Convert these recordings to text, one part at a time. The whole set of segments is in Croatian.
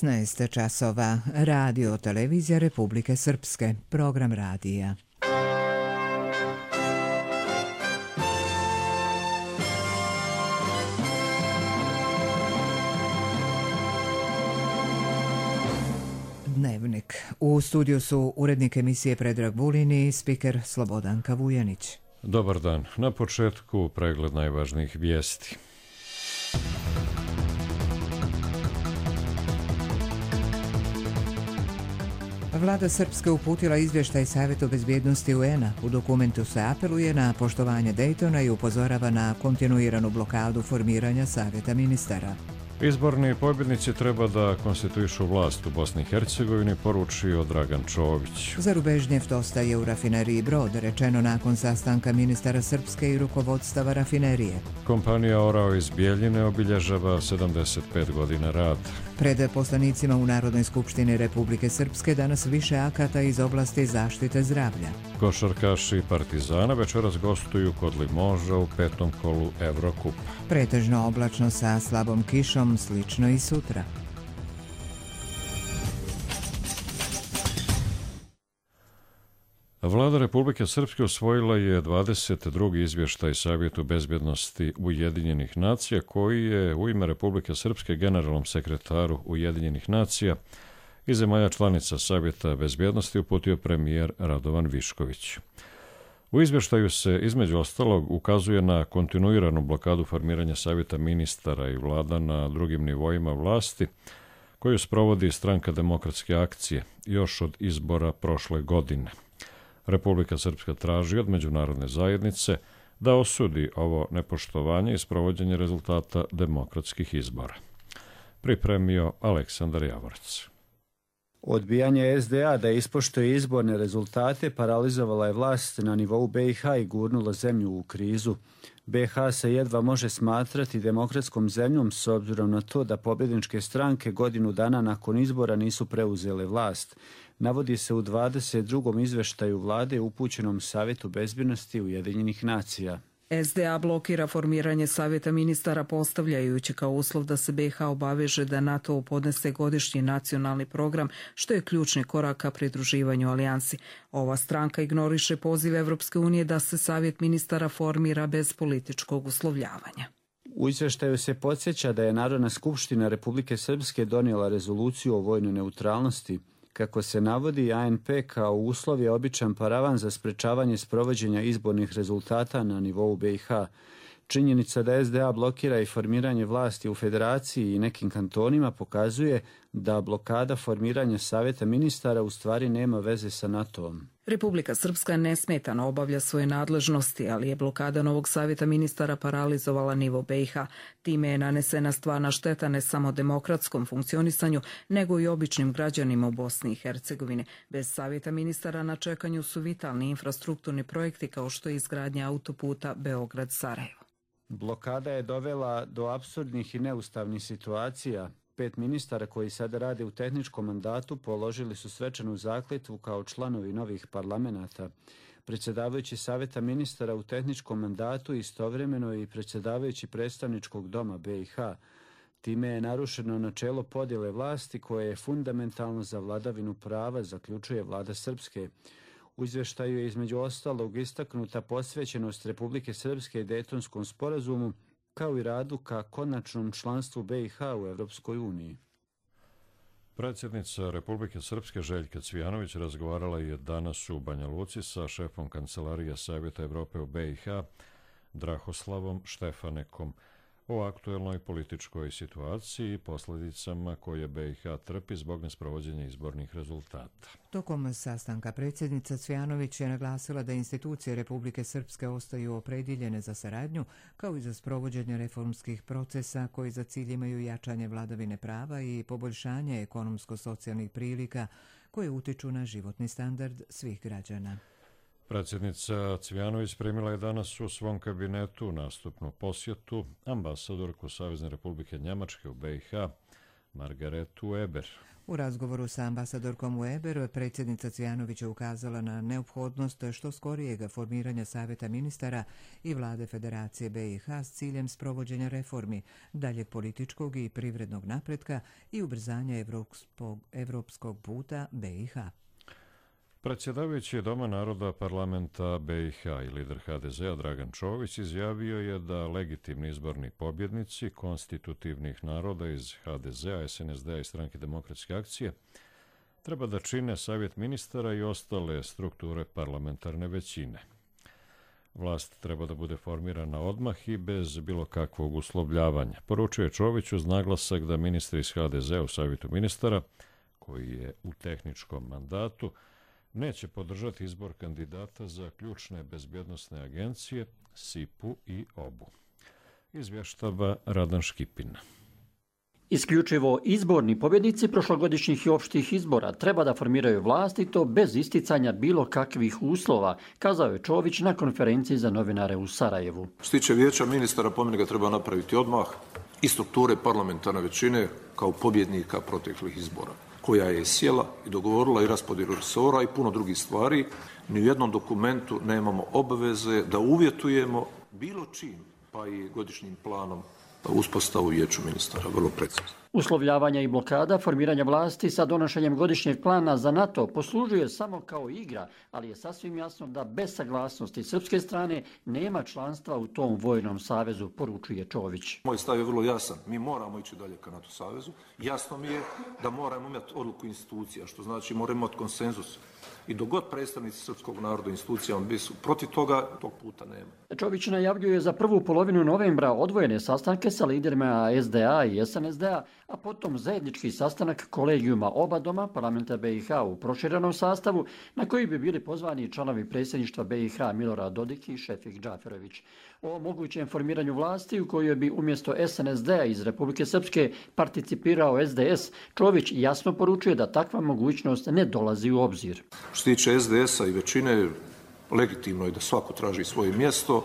16 časova. Radio Televizija Republike Srpske. Program radija. Dnevnik. U studiju su urednik emisije Predrag Vulin i spiker Slobodanka Vujanić. Dobar dan. Na početku pregled najvažnijih vijesti. Vlada Srpske uputila izvještaj Savjetu bezbjednosti UN-a. U dokumentu se apeluje na poštovanje Daytona i upozorava na kontinuiranu blokadu formiranja Savjeta ministara. Izborni pobjednici treba da konstituišu vlast u Bosni i Hercegovini, poručio Dragan Čović. Zarubežnjev ostaje u rafineriji Brod, rečeno nakon sastanka ministara Srpske i rukovodstava rafinerije. Kompanija Orao iz Bijeljine obilježava 75 godina rada. Pred poslanicima u Narodnoj skupštini Republike Srpske danas više akata iz oblasti zaštite zdravlja. Košarkaši Partizana večeras gostuju kod Limoža u 5. kolu Evrokupa. Pretežno oblačno sa slabom kišom, slično i sutra. Vlada Republike Srpske usvojila je 22. izvještaj Savjetu bezbjednosti Ujedinjenih nacija, koji je u ime Republike Srpske generalnom sekretaru Ujedinjenih nacija i zemalja članica Savjeta bezbjednosti uputio premijer Radovan Višković. U izvještaju se između ostalog ukazuje na kontinuiranu blokadu formiranja Savjeta ministara i vlada na drugim nivoima vlasti, koju sprovodi Stranka demokratske akcije još od izbora prošle godine. Republika Srpska traži od međunarodne zajednice da osudi ovo nepoštovanje i sprovođenje rezultata demokratskih izbora. Pripremio Aleksandar Javorac. Odbijanje SDA da ispoštuje izborne rezultate paralizovala je vlast na nivou BiH i gurnula zemlju u krizu. BiH se jedva može smatrati demokratskom zemljom s obzirom na to da pobjedničke stranke godinu dana nakon izbora nisu preuzele vlast. Navodi se u 22. izveštaju vlade upućenom Savjetu bezbjednosti Ujedinjenih nacija. SDA blokira formiranje Savjeta ministara postavljajući kao uslov da se BiH obaveže da NATO podnese godišnji nacionalni program, što je ključni korak ka pridruživanju alijansi. Ova stranka ignoriše poziv Evropske unije da se Savjet ministara formira bez političkog uslovljavanja. U izvještaju se podsjeća da je Narodna skupština Republike Srpske donijela rezoluciju o vojnoj neutralnosti. Kako se navodi, ANP kao uslov je običan paravan za sprečavanje sprovođenja izbornih rezultata na nivou BiH. Činjenica da SDA blokira i formiranje vlasti u federaciji i nekim kantonima pokazuje da blokada formiranja Savjeta ministara u stvari nema veze sa NATO-om. Republika Srpska nesmetano obavlja svoje nadležnosti, ali je blokada novog Savjeta ministara paralizovala nivo BiH. Time je nanesena stvarna šteta ne samo demokratskom funkcionisanju, nego i običnim građanima u Bosni i Hercegovini. Bez Savjeta ministara na čekanju su vitalni infrastrukturni projekti kao što je izgradnja autoputa Beograd-Sarajevo. Blokada je dovela do apsurdnih i neustavnih situacija. 5 ministara koji sada rade u tehničkom mandatu položili su svečanu zakletvu kao članovi novih parlamenata. Predsjedavajući Savjeta ministara u tehničkom mandatu istovremeno i predsjedavajući predstavničkog doma BiH. Time je narušeno načelo podjele vlasti koje je fundamentalno za vladavinu prava, zaključuje vlada Srpske. U izvještaju je između ostalog istaknuta posvećenost Republike Srpske Dejtonskom sporazumu, kao i radu ka konačnom članstvu BiH u Evropskoj uniji. Predsjednica Republike Srpske Željka Cvijanović razgovarala je danas u Banja Luci sa šefom Kancelarije Savjeta Evrope u BiH, Drahoslavom Štefanekom, o aktuelnoj političkoj situaciji i posljedicama koje BiH trpi zbog nesprovođenja izbornih rezultata. Tokom sastanka predsjednica Cvijanović je naglasila da institucije Republike Srpske ostaju opredjeljene za saradnju, kao i za sprovođenje reformskih procesa koji za cilj imaju jačanje vladavine prava i poboljšanje ekonomsko-socijalnih prilika koje utiču na životni standard svih građana. Predsjednica Cvijanović primila je danas u svom kabinetu nastupnu posjetu ambasadorku Savezne Republike Njemačke u BiH, Margaretu Weber. U razgovoru sa ambasadorkom Weber, predsjednica Cvijanović je ukazala na neophodnost što skorijega formiranja Savjeta ministara i vlade Federacije BiH s ciljem sprovođenja reformi, daljeg političkog i privrednog napretka i ubrzanja evropskog puta BiH. Predsjedavajući Doma naroda parlamenta BiH i lider HDZ-a Dragan Čović izjavio je da legitimni izborni pobjednici konstitutivnih naroda iz HDZ-a, SNSD-a i Stranke demokratske akcije treba da čine Savjet ministara i ostale strukture parlamentarne većine. Vlast treba da bude formirana odmah i bez bilo kakvog uslovljavanja. Poručio je Čović uz naglasak da ministri iz HDZ-a u Savjetu ministara, koji je u tehničkom mandatu, neće podržati izbor kandidata za ključne bezbjednosne agencije, SIP-u i OBU. Izvještava Radan Škipin. Isključivo izborni pobjednici prošlogodišnjih i opštih izbora treba da formiraju vlast i to bez isticanja bilo kakvih uslova, kazao je Čović na konferenciji za novinare u Sarajevu. Što se tiče vijeća ministara, po meni ga treba napraviti odmah i strukture parlamentarne većine kao pobjednika proteklih izbora, koja je sjela i dogovorila i raspodjelu resora i puno drugih stvari. Ni u jednom dokumentu nemamo obaveze da uvjetujemo bilo čim, pa i godišnjim planom uspostavu vijeću ministara, vrlo precizno. Uslovljavanja i blokada formiranja vlasti sa donošenjem godišnjeg plana za NATO poslužuje samo kao igra, ali je sasvim jasno da bez saglasnosti srpske strane nema članstva u tom vojnom savezu, poručuje Čović. Moj stav je vrlo jasan. Mi moramo ići dalje ka NATO savezu. Jasno mi je da moramo imati odluku institucija, što znači moramo imati konsenzus. I dok god predstavnici srpskog naroda i institucijama bi su protiv toga, tog puta nema. Čović najavljuje za prvu polovinu novembra odvojene sastanke sa liderima SDA i SNSD-a, a potom zajednički sastanak kolegijuma oba doma parlamenta BiH u proširenom sastavu, na koji bi bili pozvani članovi predsjedništva BiH Milorad Dodik i Šefik Džaferović. O mogućem formiranju vlasti u kojoj bi umjesto SNSD-a iz Republike Srpske participirao SDS, Čović jasno poručuje da takva mogućnost ne dolazi u obzir. Što se tiče SDS-a i većine, legitimno je da svako traži svoje mjesto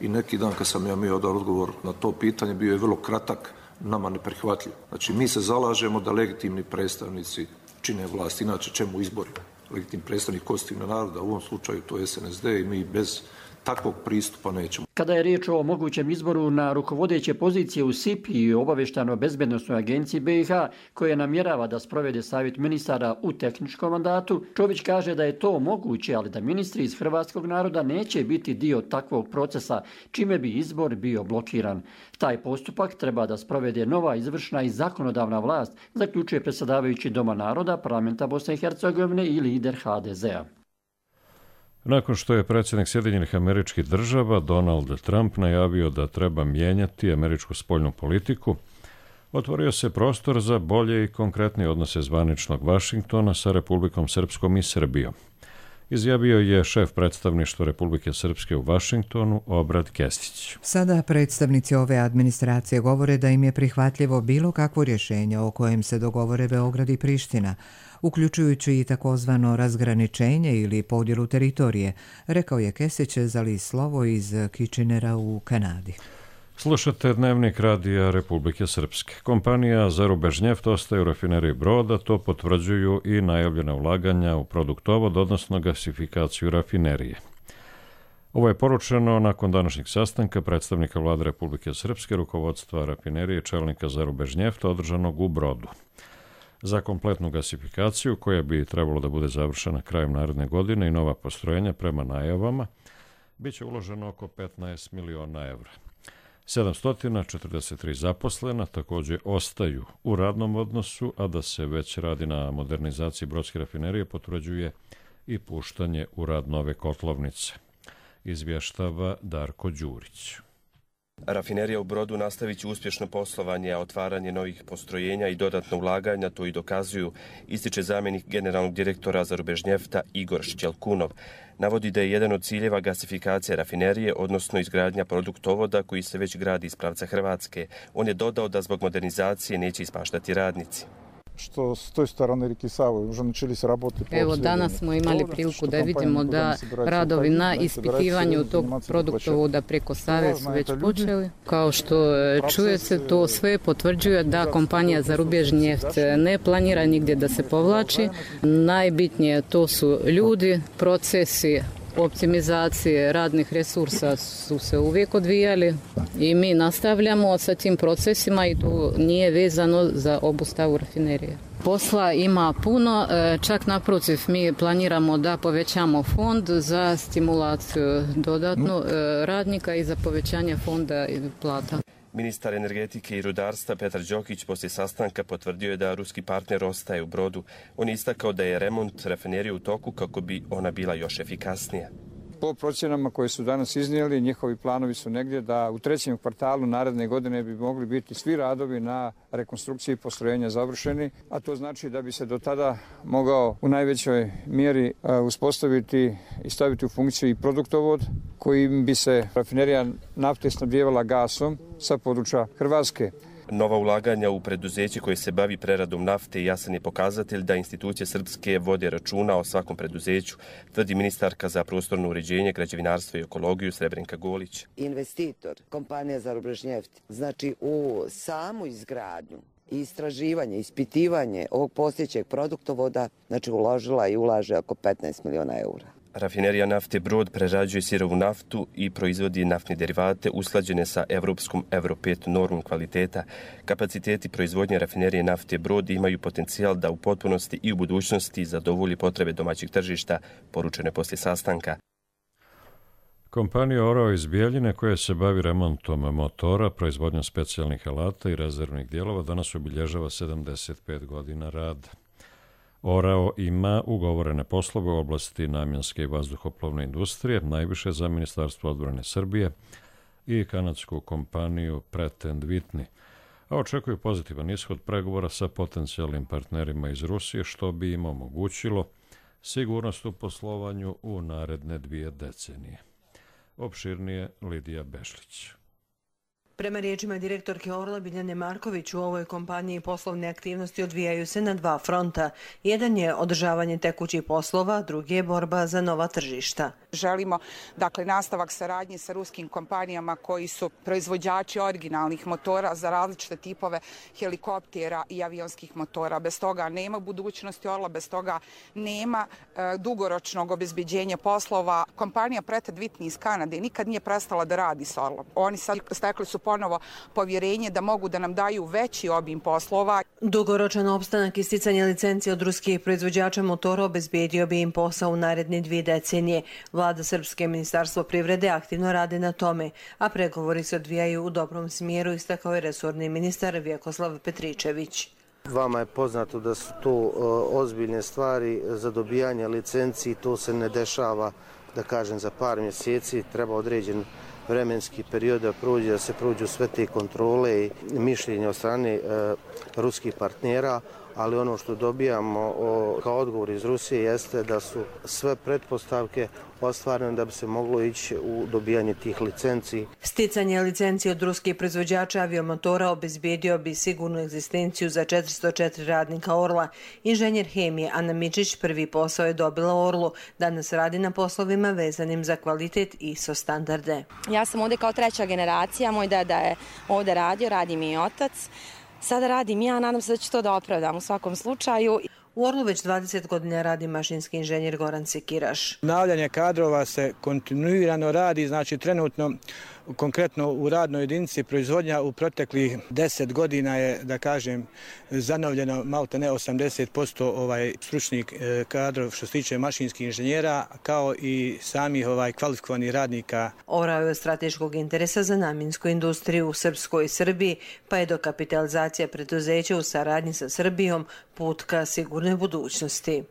i neki dan kad sam ja imao dao odgovor na to pitanje, bio je vrlo kratak, nama neprihvatljiv. Znači, mi se zalažemo da legitimni predstavnici čine vlast, inače čemu izbori? Legitimni predstavnik konstitutivnog naroda, u ovom slučaju to je SNSD i mi bez takvog pristupa nećemo. Kada je riječ o mogućem izboru na rukovodeće pozicije u SIP i obavještajno-bezbednosnoj agenciji BiH, koja namjerava da sprovede savjet ministara u tehničkom mandatu, Čović kaže da je to moguće, ali da ministri iz hrvatskog naroda neće biti dio takvog procesa, čime bi izbor bio blokiran. Taj postupak treba da sprovede nova izvršna i zakonodavna vlast, zaključuje predsjedavajući Doma naroda, parlamenta Bosne i Hercegovine i lider HDZ-a. Nakon što je predsjednik Sjedinjenih Američkih Država Donald Trump najavio da treba mijenjati američku spoljnu politiku, otvorio se prostor za bolje i konkretnije odnose zvaničnog Vašingtona sa Republikom Srpskom i Srbijom. Izjavio je šef predstavništva Republike Srpske u Vašingtonu Obrad Kestić. Sada predstavnici ove administracije govore da im je prihvatljivo bilo kakvo rješenje o kojem se dogovore Beograd i Priština, uključujući i takozvano razgraničenje ili podjelu teritorije, rekao je Kesić za list Slovo iz Kitchenera u Kanadi. Slušate Dnevnik radija Republike Srpske. Kompanija Zarubežnjeft ostaje u rafineriji Broda, to potvrđuju i najavljena ulaganja u produktovod, odnosno gasifikaciju rafinerije. Ovo je poručeno nakon današnjeg sastanka predstavnika vlade Republike Srpske, rukovodstva rafinerije čelnika Zarubežnjefta održanog u Brodu. Za kompletnu gasifikaciju, koja bi trebalo da bude završena krajem naredne godine i nova postrojenja prema najavama, bit će uloženo oko 15 miliona evra. 743 zaposlena također ostaju u radnom odnosu, a da se već radi na modernizaciji brodske rafinerije potvrđuje i puštanje u rad nove kotlovnice. Izvještava Darko Đurić. Rafinerija u Brodu nastavit će uspješno poslovanje, a otvaranje novih postrojenja i dodatno ulaganja to i dokazuju, ističe zamjenik generalnog direktora Zarubežnjefta Igor Šćelkunov. Navodi da je jedan od ciljeva gasifikacija rafinerije, odnosno izgradnja produktovoda koji se već gradi iz pravca Hrvatske. On je dodao da zbog modernizacije neće ispaštati radnici. što s toj strane rijeke Save уже начались работы. Evo, danas smo imali priliku da vidimo da radovi na ispitivanju tog produktovoda preko Save su već počeli. Kao što čuje se, to sve potvrđuje da kompanija za rubježni neft ne planira nigdje da se povlači. Najbitnije to su ljudi, procesi, optimizacije radnih resursa su se uvijek odvijali i mi nastavljamo sa tim procesima i to nije vezano za obustavu rafinerije. Posla ima puno, čak naprotiv mi planiramo da povećamo fond za stimulaciju dodatno radnika i za povećanje fonda i plata. Ministar energetike i rudarstva Petar Đokić poslije sastanka potvrdio je da ruski partner ostaje u Brodu. On je istakao da je remont rafinerije u toku kako bi ona bila još efikasnija. Po procjenama koje su danas iznijeli, njihovi planovi su negdje da u 3. kvartalu naredne godine bi mogli biti svi radovi na rekonstrukciji postrojenja završeni, a to znači da bi se do tada mogao u najvećoj mjeri uspostaviti i staviti u funkciju i produktovod kojim bi se rafinerija nafte snabdijevala gasom sa područja Hrvatske. Nova ulaganja u preduzeće koje se bavi preradom nafte jasan je pokazatelj da institucije srpske vode računa o svakom preduzeću, tvrdi ministarka za prostorno uređenje, građevinarstvo i ekologiju Srebrenka Golić. Investitor, kompanija za Rubrežnjeft, znači u samu izgradnju i istraživanje, ispitivanje ovog postojećeg produktovoda, znači uložila i ulaže oko 15 miliona eura. Rafinerija nafte Brod prerađuje sirovu naftu i proizvodi naftne derivate usklađene sa evropskom Euro 5 normom kvaliteta. Kapaciteti proizvodnje rafinerije nafte Brod imaju potencijal da u potpunosti i u budućnosti zadovolji potrebe domaćeg tržišta, poručeno je poslije sastanka. Kompanija Orao iz Bijeljine, koja se bavi remontom motora, proizvodnjom specijalnih alata i rezervnih dijelova, danas obilježava 75 godina rada. Orao ima ugovorene poslove u oblasti namjenske i vazduhoplovne industrije, najviše za Ministarstvo odbrane Srbije i kanadsku kompaniju Pratt & Whitney, a očekuju pozitivan ishod pregovora sa potencijalnim partnerima iz Rusije, što bi im omogućilo sigurnost u poslovanju u naredne 2 decenije. Opširnije Lidija Bešlić. Prema riječima direktorke Orla Biljane Marković, u ovoj kompaniji poslovne aktivnosti odvijaju se na 2 fronta. Jedan je održavanje tekućih poslova, drugi je borba za nova tržišta. Želimo nastavak saradnje sa ruskim kompanijama koji su proizvođači originalnih motora za različite tipove helikoptera i avionskih motora. Bez toga nema budućnosti Orla, bez toga nema dugoročnog obezbeđenja poslova. Kompanija Pratt & Whitney iz Kanade nikad nije prestala da radi s Orlom. Oni sad stekli su ponovo povjerenje da mogu da nam daju veći obim poslova. Dugoročan opstanak i sticanje licencije od ruskih proizvođača motora obezbedio bi im posao u naredne 2 decenije. Vlada Srpske, Ministarstvo privrede aktivno rade na tome, a pregovori se odvijaju u dobrom smjeru, istakao je resorni ministar Vjekoslav Petričević. Vama je poznato da su to ozbiljne stvari za dobijanje licenciji, to se ne dešava, da kažem, za par mjeseci, treba određen vremenski period da se prođu sve te kontrole i mišljenje od strane ruskih partnera, ali ono što dobijamo kao odgovor iz Rusije jeste da su sve pretpostavke ostvarene da bi se moglo ići u dobijanje tih licenci. Sticanje licencije od ruskih proizvođača aviomotora obezbedio bi sigurnu egzistenciju za 404 radnika Orla. Inženjer hemije Ana Mičić prvi posao je dobila u Orlu. Danas radi na poslovima vezanim za kvalitet i ISO standarde. Ja sam ovdje kao 3. generacija, moj deda je ovdje radio, radi mi i otac. Sada radim ja, nadam se da ću to da opravdam u svakom slučaju. U Orlu već 20 godina radi mašinski inženjer Goran Sekiraš. Obnavljanje kadrova se kontinuirano radi, znači trenutno konkretno u radnoj jedinici proizvodnja u proteklih 10 godina je, da kažem, zanovljeno malte ne 80% stručnih kadrov što se tiče mašinskih inženjera, kao i samih kvalifikovanih radnika. Orao je od strateškog interesa za namjensku industriju u Srpskoj i Srbiji, pa je dokapitalizacija preduzeća u saradnji sa Srbijom put ka sigurnoj budućnosti.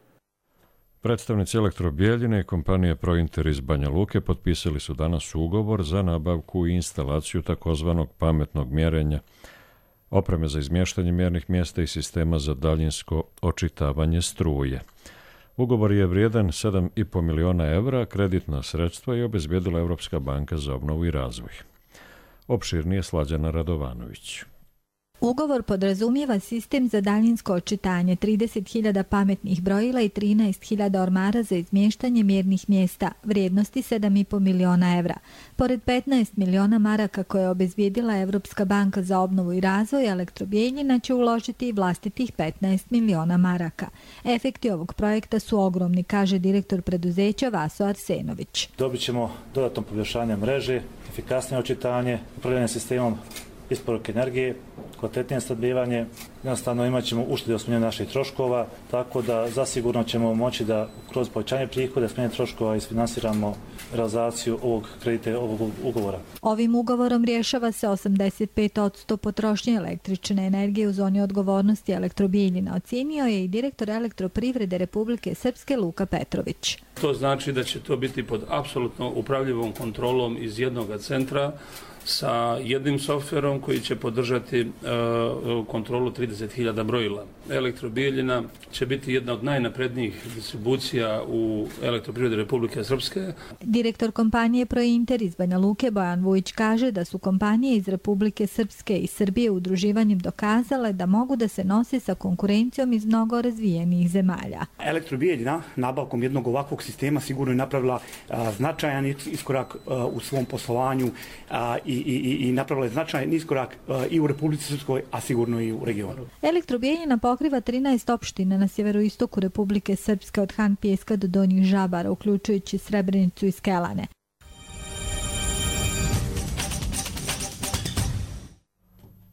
Predstavnici Elektrobijeljine i kompanije Prointer iz Banja Luke potpisali su danas ugovor za nabavku i instalaciju takozvanog pametnog mjerenja, opreme za izmještanje mjernih mjesta i sistema za daljinsko očitavanje struje. Ugovor je vrijedan 7,5 miliona evra, kreditna sredstva je obezbjedila Evropska banka za obnovu i razvoj. Opširnije Slađana Radovanović. Ugovor podrazumijeva sistem za daljinsko očitanje, 30.000 pametnih brojila i 13.000 ormara za izmještanje mjernih mjesta, vrijednosti 7,5 miliona evra. Pored 15 miliona maraka koje je obezbijedila Evropska banka za obnovu i razvoj, Elektrobijeljina će uložiti i vlastitih 15 miliona maraka. Efekti ovog projekta su ogromni, kaže direktor preduzeća Vaso Arsenović. Dobit ćemo dodatno poboljšanje mreže, efikasnije očitanje, upravljanje sistemom isporuke energije, kvalitetnije snabdijevanje, jednostavno imat ćemo uštede u smanjenju naših troškova, tako da zasigurno ćemo moći da kroz povećanje prihoda, smanjenje troškova isfinansiramo realizaciju ovog kredita, ovog ugovora. Ovim ugovorom rješava se 85% potrošnje električne energije u zoni odgovornosti Elektrobijeljina, ocijenio je i direktor Elektroprivrede Republike Srpske Luka Petrović. To znači da će to biti pod apsolutno upravljivom kontrolom iz jednog centra, sa jednim softverom koji će podržati kontrolu 30.000 brojila. Elektrobijeljina će biti jedna od najnaprednijih distribucija u Elektroprivredi Republike Srpske. Direktor kompanije Prointer iz Banja Luke Bojan Vujić kaže da su kompanije iz Republike Srpske i Srbije udruživanjem dokazale da mogu da se nose sa konkurencijom iz mnogo razvijenih zemalja. Elektrobijeljina nabavkom jednog ovakvog sistema sigurno je napravila značajan iskorak u svom poslovanju i napravila je značajan iskorak i u Republici Srpskoj, a sigurno i u regionu. Elektrobijeljina pokriva 13 opština na sjeveroistoku Republike Srpske od Han Pijeska do Donjih Žabara, uključujući Srebrenicu i Skelane.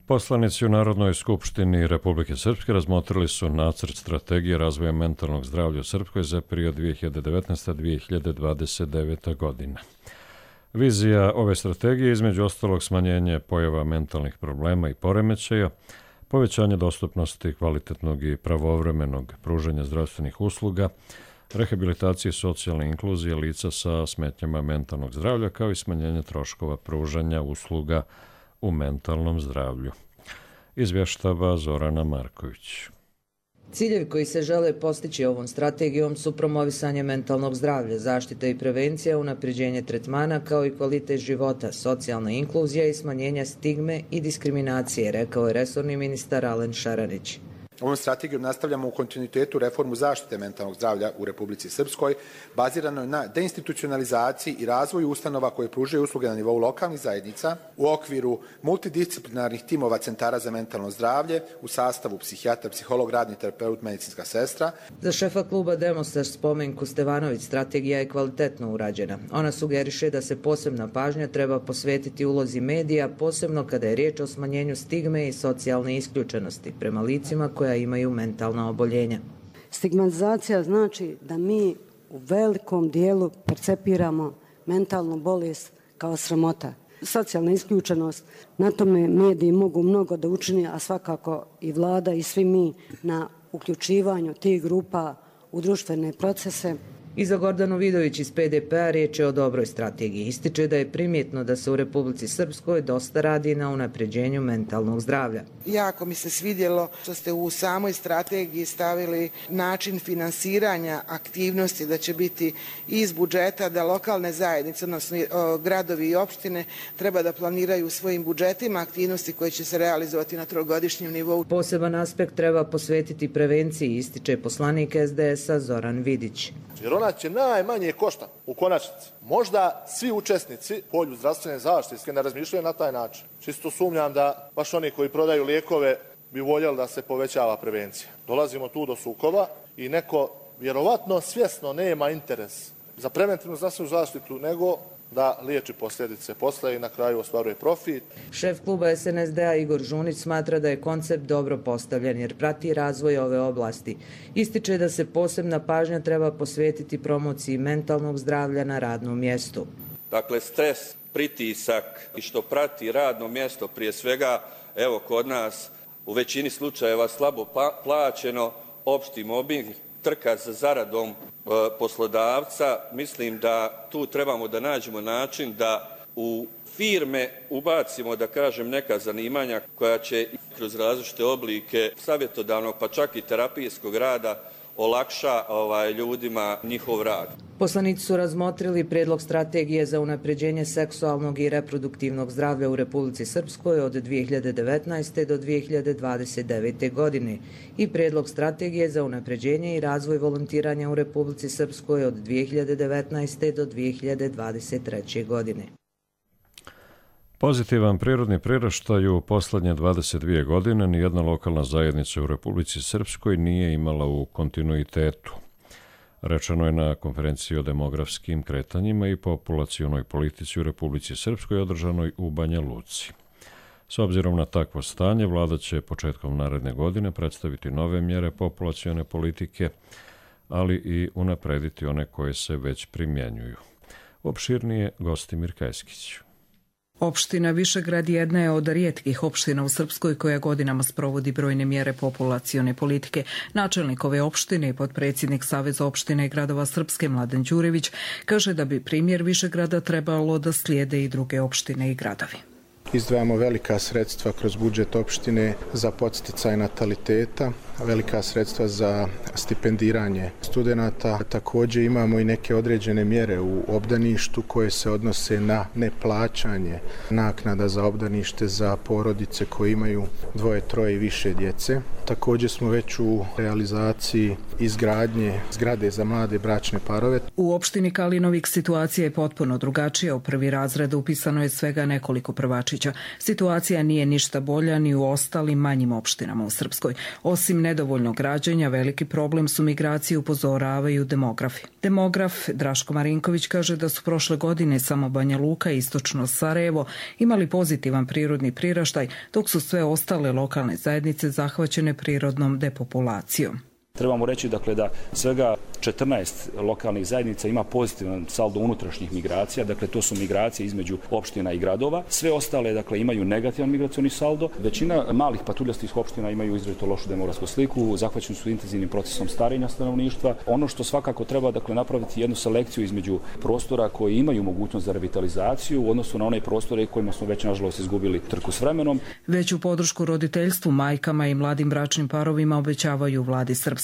Poslanici u Narodnoj skupštini Republike Srpske razmotrili su nacrt strategije razvoja mentalnog zdravlja u Srpskoj za period 2019-2029. godina. Vizija ove strategije je između ostalog smanjenje pojava mentalnih problema i poremećaja, povećanje dostupnosti kvalitetnog i pravovremenog pružanja zdravstvenih usluga, rehabilitacije i socijalne inkluzije lica sa smetnjama mentalnog zdravlja, kao i smanjenje troškova pružanja usluga u mentalnom zdravlju. Izvještava Zorana Marković. Ciljevi koji se žele postići ovom strategijom su promovisanje mentalnog zdravlja, zaštita i prevencija, unapređenje tretmana kao i kvalitet života, socijalna inkluzija i smanjenje stigme i diskriminacije, rekao je resorni ministar Alen Šaranić. Ovom strategijom nastavljamo u kontinuitetu reformu zaštite mentalnog zdravlja u Republici Srpskoj, baziranoj na deinstitucionalizaciji i razvoju ustanova koje pružaju usluge na nivou lokalnih zajednica u okviru multidisciplinarnih timova centara za mentalno zdravlje u sastavu psihijatar, psiholog, radni terapeut, medicinska sestra. Za šefa kluba Demostar Spomenku Stevanović strategija je kvalitetno urađena. Ona sugeriše da se posebna pažnja treba posvetiti ulozi medija, posebno kada je riječ o smanjenju stigme i socijalne isključenosti prema licima koja imaju mentalna oboljenja. Stigmatizacija znači da mi u velikom dijelu percepiramo mentalnu bolest kao sramota. Socijalna isključenost, na tome mediji mogu mnogo da učini, a svakako i vlada i svi mi na uključivanju tih grupa u društvene procese. I za Gordanu Vidović iz PDP-a riječ je o dobroj strategiji. Ističe da je primjetno da se u Republici Srpskoj dosta radi na unapređenju mentalnog zdravlja. Jako mi se svidjelo što ste u samoj strategiji stavili način finansiranja aktivnosti, da će biti iz budžeta, da lokalne zajednice, odnosno gradovi i opštine treba da planiraju u svojim budžetima aktivnosti koje će se realizovati na trogodišnjem nivou. Poseban aspekt treba posvetiti prevenciji, ističe poslanik SDS-a Zoran Vidić. Jer ona će najmanje košta u konačnici. Možda svi učesnici u polju zdravstvene zaštite ne razmišljaju na taj način. Čisto sumnjam da baš oni koji prodaju lijekove bi voljeli da se povećava prevencija. Dolazimo tu do sukoba i neko vjerovatno svjesno nema interes za preventivnu zdravstvenu zaštitu, nego da liječi posljedice posle i na kraju ostvaruje profit. Šef kluba SNSD-a Igor Žunić smatra da je koncept dobro postavljen jer prati razvoj ove oblasti. Ističe da se posebna pažnja treba posvetiti promociji mentalnog zdravlja na radnom mjestu. Dakle, stres, pritisak i što prati radno mjesto, prije svega, evo kod nas u većini slučajeva slabo plaćeno, opšti mobbing, trka za zaradom poslodavca, mislim da tu trebamo da nađemo način da u firme ubacimo, da kažem, neka zanimanja koja će kroz različite oblike savjetodavnog pa čak i terapijskog rada olakša ljudima njihov rad. Poslanici su razmotrili predlog strategije za unapređenje seksualnog i reproduktivnog zdravlja u Republici Srpskoj od 2019. do 2029. godine i predlog strategije za unapređenje i razvoj volontiranja u Republici Srpskoj od 2019. do 2023. godine. Pozitivan prirodni priraštaj u poslednje 22 godine nijedna lokalna zajednica u Republici Srpskoj nije imala u kontinuitetu. Rečeno je na konferenciji o demografskim kretanjima i populacionoj politici u Republici Srpskoj održanoj u Banja Luci. S obzirom na takvo stanje, vlada će početkom naredne godine predstaviti nove mjere populacione politike, ali i unaprediti one koje se već primjenjuju. Opširnije Gostimir Kajskić. Opština Višegrad jedna je od rijetkih opština u Srpskoj koja godinama sprovodi brojne mjere populacione politike. Načelnik ove opštine i potpredsjednik Saveza opštine i gradova Srpske Mladen Đurević kaže da bi primjer Višegrada trebalo da slijede i druge opštine i gradovi. Izdvajamo velika sredstva kroz budžet opštine za podsticaj nataliteta, velika sredstva za stipendiranje studenata. Također imamo i neke određene mjere u obdaništu koje se odnose na neplaćanje naknada za obdanište za porodice koje imaju 2, 3 i više djece. Također smo već u realizaciji izgradnje zgrade za mlade bračne parove. U opštini Kalinovik situacija je potpuno drugačija. U prvi razred upisano je svega nekoliko prvačića. Situacija nije ništa bolja ni u ostalim manjim opštinama u Srpskoj. Osim nedovoljnog građenja, veliki problem su migracije, upozoravaju demografi. Demograf Draško Marinković kaže da su prošle godine samo Banja Luka i istočno Sarajevo imali pozitivan prirodni priraštaj, dok su sve ostale lokalne zajednice zahvaćene prirodnom depopulacijom. Trebamo reći dakle, da svega 14 lokalnih zajednica ima pozitivan saldo unutrašnjih migracija, dakle to su migracije između opština i gradova. Sve ostale dakle, imaju negativan migracioni saldo. Većina malih patuljastih opština imaju izrazito lošu demografsku sliku, zahvaćeni su intenzivnim procesom starenja stanovništva. Ono što svakako treba dakle, napraviti jednu selekciju između prostora koji imaju mogućnost za revitalizaciju u odnosu na one prostore kojima smo već nažalost izgubili trku s vremenom. Veću podršku roditeljstvu, majkama i mladim bračnim parovima obećavaju vladi Srpske.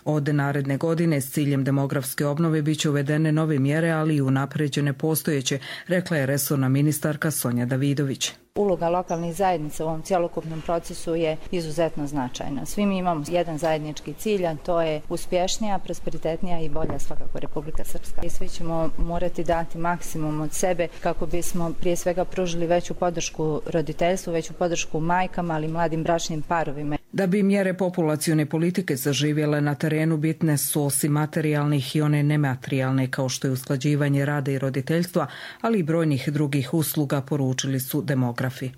Od naredne godine s ciljem demografske obnove biće uvedene nove mjere, ali i unapređene postojeće, rekla je resorna ministarka Sonja Davidović. Uloga lokalnih zajednica u ovom cjelokupnom procesu je izuzetno značajna. Svi mi imamo jedan zajednički cilj, a to je uspješnija, prosperitetnija i bolja svakako Republika Srpska. I svi ćemo morati dati maksimum od sebe kako bismo prije svega pružili veću podršku roditeljstvu, veću podršku majkama, ali i mladim bračnim parovima. Da bi mjere populacione politike zaživjele na terenu, bitne su osim materijalnih i one nematerijalne, kao što je usklađivanje rada i roditeljstva, ali i brojnih drugih usluga, poručili su demografi.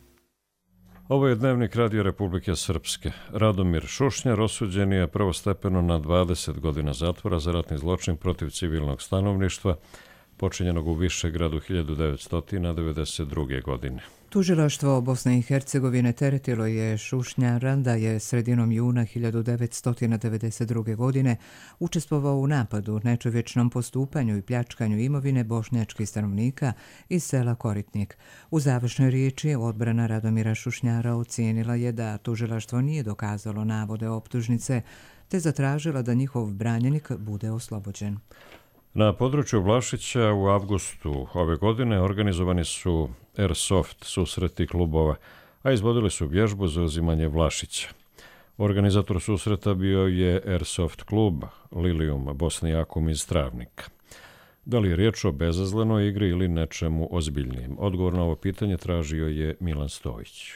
Ovo je Dnevnik Radio Republike Srpske. Radomir Šušnjar osuđen je prvostepeno na 20 godina zatvora za ratni zločin protiv civilnog stanovništva, počinjenog u Višegradu 1992. godine. Tužilaštvo Bosne i Hercegovine teretilo je Šušnjara da je sredinom juna 1992. godine učestvovao u napadu, nečovječnom postupanju i pljačkanju imovine bošnjačkih stanovnika iz sela Koritnik. U završnoj riječi odbrana Radomira Šušnjara ocijenila je da tužilaštvo nije dokazalo navode optužnice, te zatražila da njihov branjenik bude oslobođen. Na području Vlašića u avgustu ove godine organizovani su Airsoft susreti klubova, a izvodili su vježbu za uzimanje Vlašića. Organizator susreta bio je Airsoft klub Lilium Bosnijakum iz Travnika. Da li je riječ o bezazlenoj igri ili nečemu ozbiljnijem? Odgovor na ovo pitanje tražio je Milan Stojić.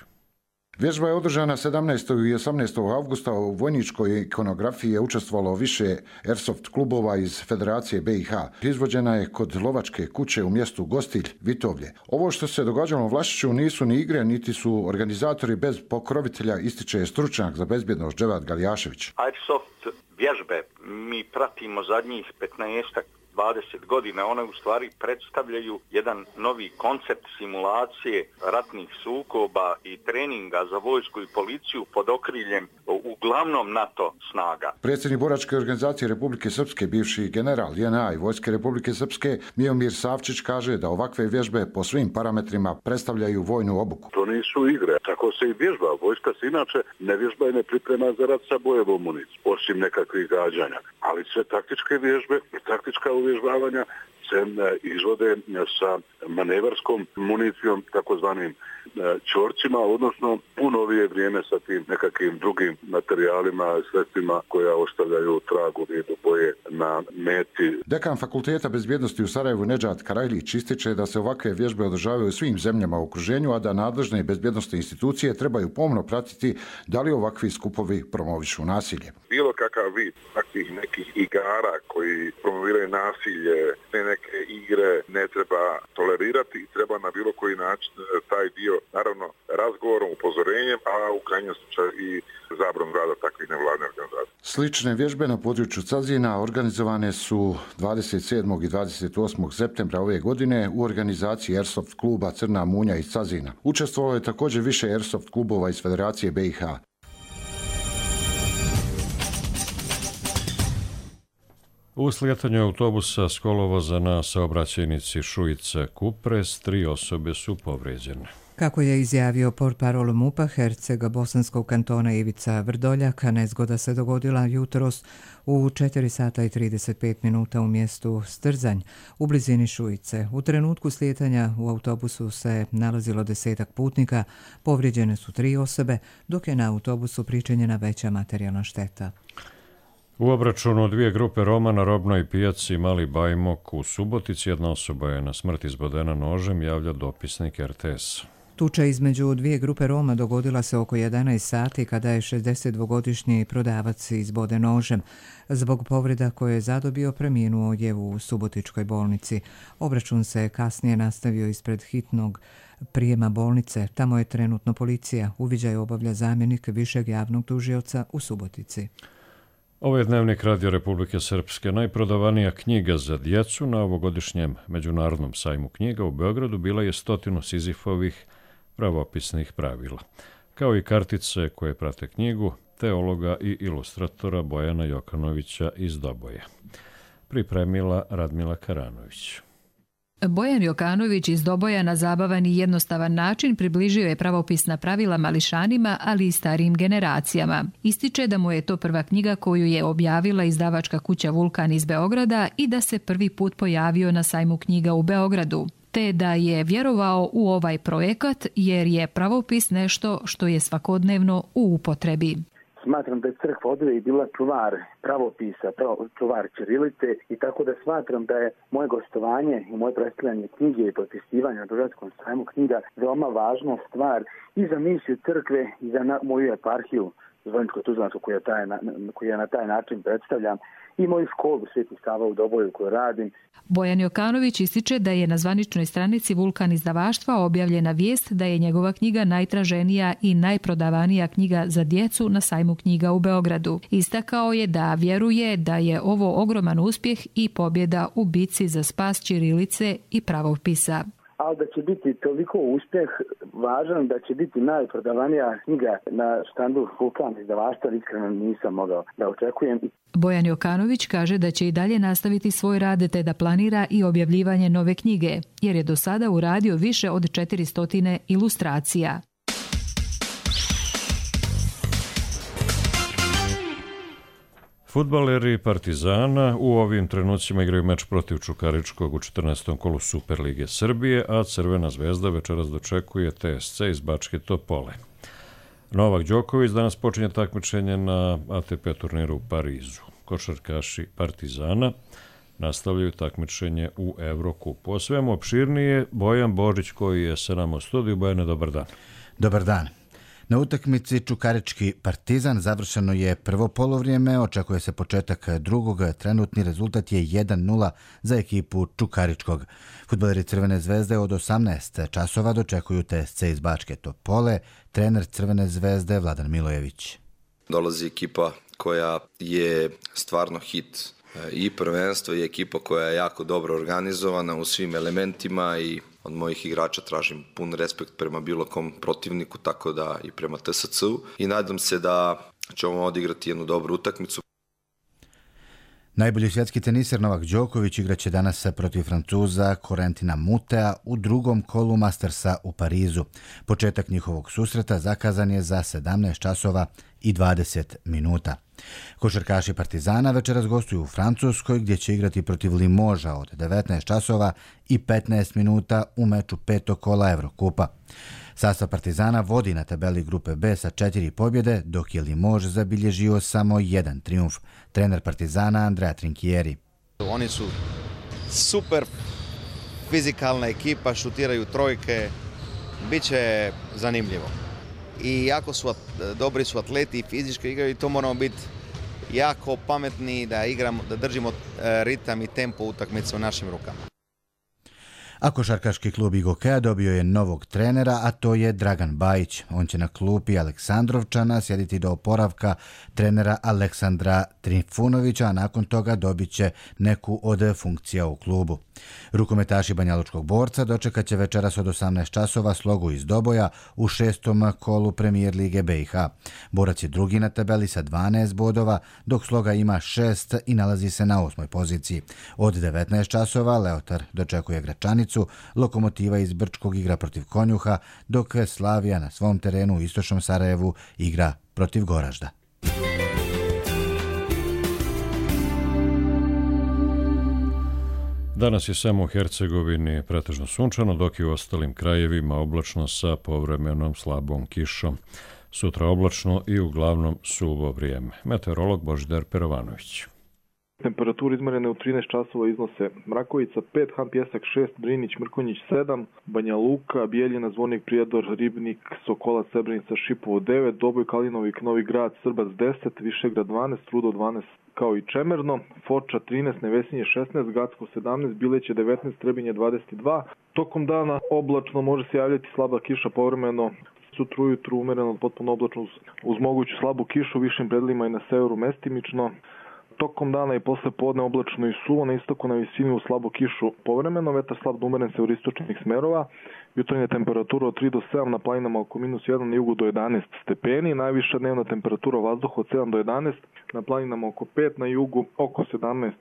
Vježba je održana 17. i 18. avgusta. U vojničkoj ikonografiji je učestvovalo više Airsoft klubova iz Federacije BiH. Izvođena je kod lovačke kuće u mjestu Gostilj, Vitovlje. Ovo što se događalo u Vlašiću nisu ni igre, niti su organizatori bez pokrovitelja, ističe stručnjak za bezbjednost Dževad Galjašević. Airsoft vježbe mi pratimo zadnjih 15-20 godina, one u stvari predstavljaju jedan novi koncept simulacije ratnih sukoba i treninga za vojsku i policiju pod okriljem uglavnom NATO snaga. Predsjednik boračke organizacije Republike Srpske, bivši general JNA i Vojske Republike Srpske, Miomir Savčić, kaže da ovakve vježbe po svim parametrima predstavljaju vojnu obuku. To nisu igre, tako se i vježba. Vojska se inače ne vježba i ne priprema za rat sa bojevom municijom, osim nekakvih gađanja. Ali sve taktičke vježbe i taktička uvježbavanja se izvode sa manevarskom municijom, takozvanim čorcima, odnosno u novije vrijeme sa tim nekakvim drugim materijalima i sredstvima koja ostavljaju trag u vidu boje na meti. Dekan Fakulteta bezbjednosti u Sarajevu Nedžad Karajlić ističe da se ovakve vježbe održavaju u svim zemljama u okruženju, a da nadležne bezbjednosne institucije trebaju pomno pratiti da li ovakvi skupovi promovišu nasilje. Bilo kakav vid takvih nekih igara koji promoviraju nasilje, neke igre ne treba tolerirati i treba na bilo koji način taj dio, naravno, razgovorom, upozorenjem, a u krajnjem slučaju i zabranom rada takvih nevladnih organizacija. Slične vježbe na području Cazina organizovane su 27. i 28. septembra ove godine u organizaciji Airsoft kluba Crna Munja iz Cazina. Učestvovalo je također više Airsoft klubova iz Federacije BiH. U slijetanju autobusa s kolovoza na saobraćajnici Šujica-Kupres 3 osobe su povrijeđene. Kako je izjavio portparol MUP-a Hercega Bosanskog kantona Ivica Vrdoljak, nezgoda se dogodila jutros u 4 sata i 35 minuta u mjestu Strzanj u blizini Šujice. U trenutku slijetanja u autobusu se nalazilo 10 putnika, povrijeđene su 3 osobe, dok je na autobusu pričinjena veća materijalna šteta. U obračunu 2 grupe Roma na robnoj pijaci Mali Bajmok u Subotici jedna osoba je na smrt izbodena nožem, javlja dopisnik RTS. Tuča između 2 grupe Roma dogodila se oko 11 sati kada je 62-godišnji prodavac izboden nožem. Zbog povreda koje je zadobio preminuo je u Subotičkoj bolnici. Obračun se kasnije nastavio ispred hitnog prijema bolnice. Tamo je trenutno policija. Uviđaj obavlja zamjenik višeg javnog tužioca u Subotici. Ovo je Dnevnik Radio Republike Srpske. Najprodavanija knjiga za djecu na ovogodišnjem Međunarodnom sajmu knjiga u Beogradu bila je 100 Sizifovih pravopisnih pravila, kao i kartice koje prate knjigu teologa i ilustratora Bojana Jokanovića iz Doboja. Pripremila Radmila Karanović. Bojan Jokanović iz Doboja na zabavan i jednostavan način približio je pravopisna pravila mališanima, ali i starijim generacijama. Ističe da mu je to prva knjiga koju je objavila izdavačka kuća Vulkan iz Beograda i da se prvi put pojavio na sajmu knjiga u Beogradu, te da je vjerovao u ovaj projekat jer je pravopis nešto što je svakodnevno u upotrebi. Smatram da je crkva oduvijek bila čuvar pravopisa, čuvar ćirilice i tako da smatram da je moje gostovanje i moje predstavljanje knjige i potpisivanje na Beogradskom sajmu knjiga veoma važna stvar i za misiju crkve i za moju eparhiju Zvoničko-Tuzlansku koju ja na taj način predstavljam i moju školu Sveti Sava u Doboju koju radim. Bojan Jokanović ističe da je na zvaničnoj stranici Vulkan izdavaštva objavljena vijest da je njegova knjiga najtraženija i najprodavanija knjiga za djecu na sajmu knjiga u Beogradu. Istakao je da vjeruje da je ovo ogroman uspjeh i pobjeda u bitci za spas ćirilice i pravopisa. Ali da će biti toliko uspjeh važan, da će biti najprodavanija knjiga na štandu Vulkan izdavaštva, iskreno nisam mogao da očekujem. Bojan Jokanović kaže da će i dalje nastaviti svoj rad te da planira i objavljivanje nove knjige, jer je do sada uradio više od 400 ilustracija. Fudbaleri Partizana u ovim trenucima igraju meč protiv Čukaričkog u 14. kolu Superlige Srbije, a Crvena zvezda večeras dočekuje TSC iz Bačke Topole. Novak Đoković danas počinje takmičenje na ATP turniru u Parizu. Košarkaši Partizana nastavljaju takmičenje u Evrokupu. O svemu opširnije Bojan Božić koji je sa nama u studiju. Bojane, dobar dan. Dobar dan. Na utakmici Čukarički Partizan završeno je prvo polovrijeme, očekuje se početak drugog, trenutni rezultat je 1-0 za ekipu Čukaričkog. Fudbaleri Crvene zvezde od 18 časova dočekuju TSC iz Bačke Topole, trener Crvene zvezde Vladan Milojević. Dolazi ekipa koja je stvarno hit i prvenstvo i ekipa koja je jako dobro organizovana u svim elementima i od mojih igrača tražim pun respekt prema bilo kom protivniku, tako da i prema TSC-u. I nadam se da ćemo odigrati jednu dobru utakmicu. Najbolji svjetski teniser Novak Đoković igraće danas protiv Francuza Corentina Mutea u drugom kolu Mastersa u Parizu. Početak njihovog susreta zakazan je za 17 časova i 20 minuta. Košarkaši Partizana večeras gostuju u Francuskoj gdje će igrati protiv Limoža od 19 časova i 15 minuta u meču petog kola Evrokupa. Sastav Partizana vodi na tabeli grupe B sa 4 pobjede, dok je Limož zabilježio samo jedan trijumf. Trener Partizana Andrea Trinchieri. Oni su super fizikalna ekipa, šutiraju trojke, bit će zanimljivo. I jako su dobri su atleti i fizički igraju i to moramo biti jako pametni da igramo, da držimo ritam i tempo utakmice u našim rukama. A košarkaški klub Igokea dobio je novog trenera, a to je Dragan Bajić. On će na klupi Aleksandrovčana sjediti do oporavka trenera Aleksandra Trifunovića, a nakon toga dobit će neku od funkcija u klubu. Rukometaši Banjalučkog Borca dočekat će večeras od 18 časova Slogu iz Doboja u 6. kolu Premijer Lige BiH. Borac je drugi na tabeli sa 12 bodova, dok Sloga ima 6 i nalazi se na 8. poziciji. Od 19 časova Leotar dočekuje Gračanicu, Lokomotiva iz Brčkog igra protiv Konjuha, dok Slavija na svom terenu u istočnom Sarajevu igra protiv Goražda. Danas je samo u Hercegovini pretežno sunčano, dok je u ostalim krajevima oblačno sa povremenom slabom kišom. Sutra oblačno i uglavnom suvo vrijeme. Meteorolog Božidar Perovanović. Temperature izmjerene u 13 časova iznose Mrakovica 5, Han Pjesak 6, Drinić, Mrkonjić 7, Banja Luka, Bijeljina, Zvornik, Prijedor, Ribnik, Sokolac, Srebrenica, Šipovo 9, Doboj, Kalinovik, Novi Grad, Srbac 10, Višegrad 12, Rudo 12 kao i Čemerno, Foča 13, Nevesinje 16, Gacko 17, Bileće 19, Trebinje 22. Tokom dana oblačno može se javljati slaba kiša povremeno. Sutra ujutru umjereno potpuno oblačno uz moguću slabu kišu, višim predjelima i na severu mestimično. Tokom dana i posle podne oblačno i suvo, na istoku na visini u slabu kišu povremeno, vetar slab da umeren se u istočnih smerova, jutarnja temperatura od 3 do 7, na planinama oko -1, na jugu do 11 stepeni, najviša dnevna temperatura vazduha od 7 do 11, na planinama oko 5, na jugu oko 17.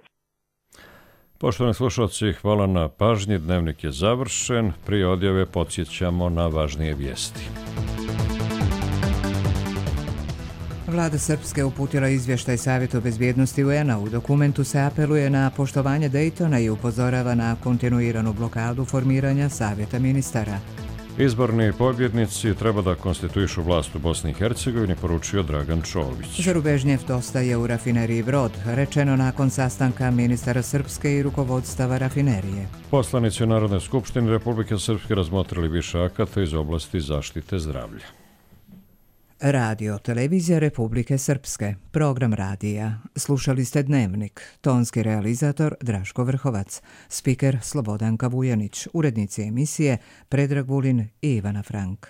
Poštovani slušalci, hvala na pažnji, dnevnik je završen, prije odjave podsjećamo na važnije vijesti. Vlada Srpske uputila izvještaj Savjetu bezbjednosti UN-a. U dokumentu se apeluje na poštovanje Dejtona i upozorava na kontinuiranu blokadu formiranja Savjeta ministara. Izborni pobjednici treba da konstituišu vlast u Bosni i Hercegovini, poručio Dragan Čović. Zarubežnjev dostaje u rafineriji Brod, rečeno nakon sastanka ministara Srpske i rukovodstava rafinerije. Poslanici Narodne skupštine Republike Srpske razmotrili više akata iz oblasti zaštite zdravlja. Radio Televizija Republike Srpske, program radija. Slušali ste Dnevnik, tonski realizator Draško Vrhovac, spiker Slobodanka Vujanić, urednici emisije Predrag Vulin i Ivana Frank.